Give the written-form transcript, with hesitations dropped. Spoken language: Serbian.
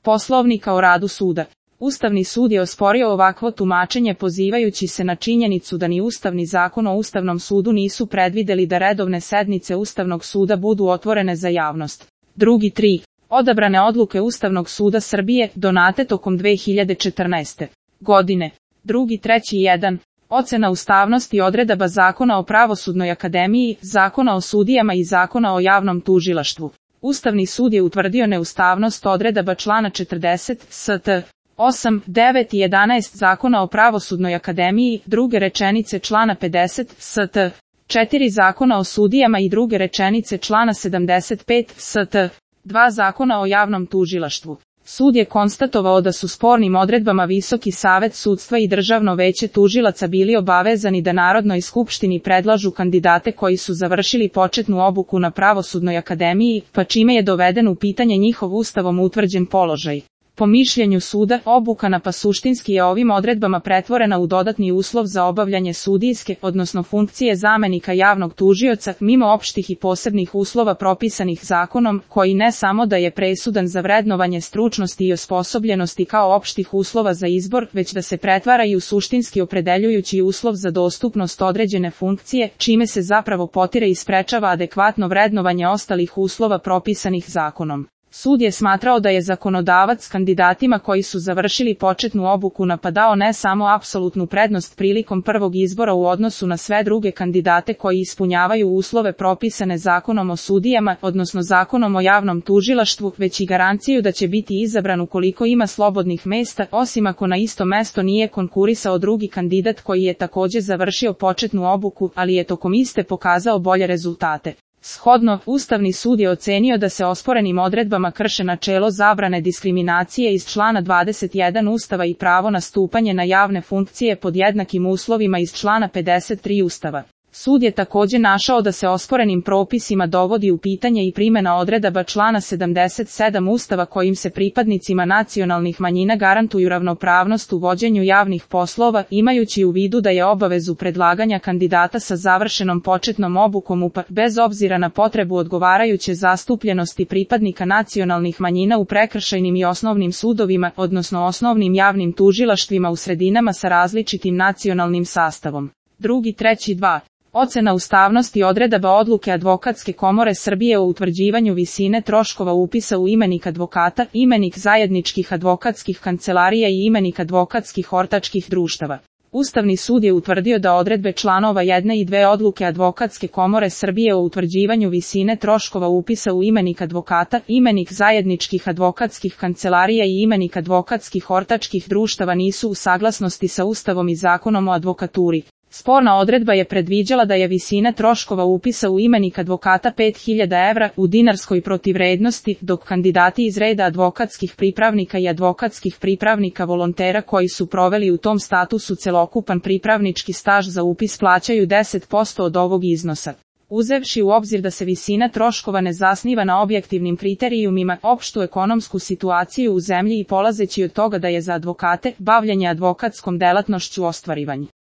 Poslovnika o radu suda. Ustavni sud je osporio ovakvo tumačenje pozivajući se na činjenicu da ni Ustavni zakon o Ustavnom sudu nisu predvideli da redovne sednice Ustavnog suda budu otvorene za javnost. Drugi 3. Odabrane odluke Ustavnog suda Srbije donate tokom 2014. godine. Drugi 3.1. Ocena ustavnosti odredaba Zakona o Pravosudnoj akademiji, Zakona o sudijama i Zakona o javnom tužilaštvu. Ustavni sud je utvrdio neustavnost odredaba člana 40 st. 8, 9 i 11 Zakona o Pravosudnoj akademiji, druge rečenice člana 50 st. 4 Zakona o sudijama i druge rečenice člana 75 st. 2 Zakona o javnom tužilaštvu. Sud je konstatovao da su spornim odredbama Visoki savet sudstva i Državno veće tužilaca bili obavezani da Narodnoj skupštini predlažu kandidate koji su završili početnu obuku na Pravosudnoj akademiji, pa čime je doveden u pitanje njihov ustavom utvrđen položaj. Po mišljenju suda, obuka na suštinski je ovim odredbama pretvorena u dodatni uslov za obavljanje sudijske, odnosno funkcije zamenika javnog tužioca, mimo opštih i posebnih uslova propisanih zakonom, koji ne samo da je presudan za vrednovanje stručnosti i osposobljenosti kao opštih uslova za izbor, već da se pretvara i u suštinski opredeljujući uslov za dostupnost određene funkcije, čime se zapravo potire i sprečava adekvatno vrednovanje ostalih uslova propisanih zakonom. Sud je smatrao da je zakonodavac kandidatima koji su završili početnu obuku napadao ne samo apsolutnu prednost prilikom prvog izbora u odnosu na sve druge kandidate koji ispunjavaju uslove propisane Zakonom o sudijama, odnosno Zakonom o javnom tužilaštvu, već i garanciju da će biti izabran ukoliko ima slobodnih mesta, osim ako na isto mesto nije konkurisao drugi kandidat koji je takođe završio početnu obuku, ali je tokom iste pokazao bolje rezultate. Shodno, Ustavni sud je ocenio da se osporenim odredbama krše načelo zabrane diskriminacije iz člana 21 Ustava i pravo na stupanje na javne funkcije pod jednakim uslovima iz člana 53 Ustava. Sud je takođe našao da se osporenim propisima dovodi u pitanje i primjena odredaba člana 77 Ustava kojim se pripadnicima nacionalnih manjina garantuju ravnopravnost u vođenju javnih poslova, imajući u vidu da je obavezu predlaganja kandidata sa završenom početnom obukom bez obzira na potrebu odgovarajuće zastupljenosti pripadnika nacionalnih manjina u prekršajnim i osnovnim sudovima, odnosno osnovnim javnim tužilaštvima u sredinama sa različitim nacionalnim sastavom. Drugi 3.2. Ocena ustavnosti odredaba odluke Advokatske komore Srbije o utvrđivanju visine troškova upisa u imenik advokata, imenik zajedničkih advokatskih kancelarija i imenik advokatskih ortačkih društava. Ustavni sud je utvrdio da odredbe članova 1 i 2 odluke Advokatske komore Srbije o utvrđivanju visine troškova upisa u imenik advokata, imenik zajedničkih advokatskih kancelarija i imenik advokatskih ortačkih društava nisu u saglasnosti sa Ustavom i Zakonom o advokaturi. Sporna odredba je predviđala da je visina troškova upisa u imenik advokata 5.000 evra u dinarskoj protivvrednosti, dok kandidati iz reda advokatskih pripravnika i advokatskih pripravnika volontera koji su proveli u tom statusu celokupan pripravnički staž za upis plaćaju 10% od ovog iznosa. Uzevši u obzir da se visina troškova ne zasniva na objektivnim kriterijumima, opštu ekonomsku situaciju u zemlji i polazeći od toga da je za advokate bavljenje advokatskom delatnošću ostvarivanje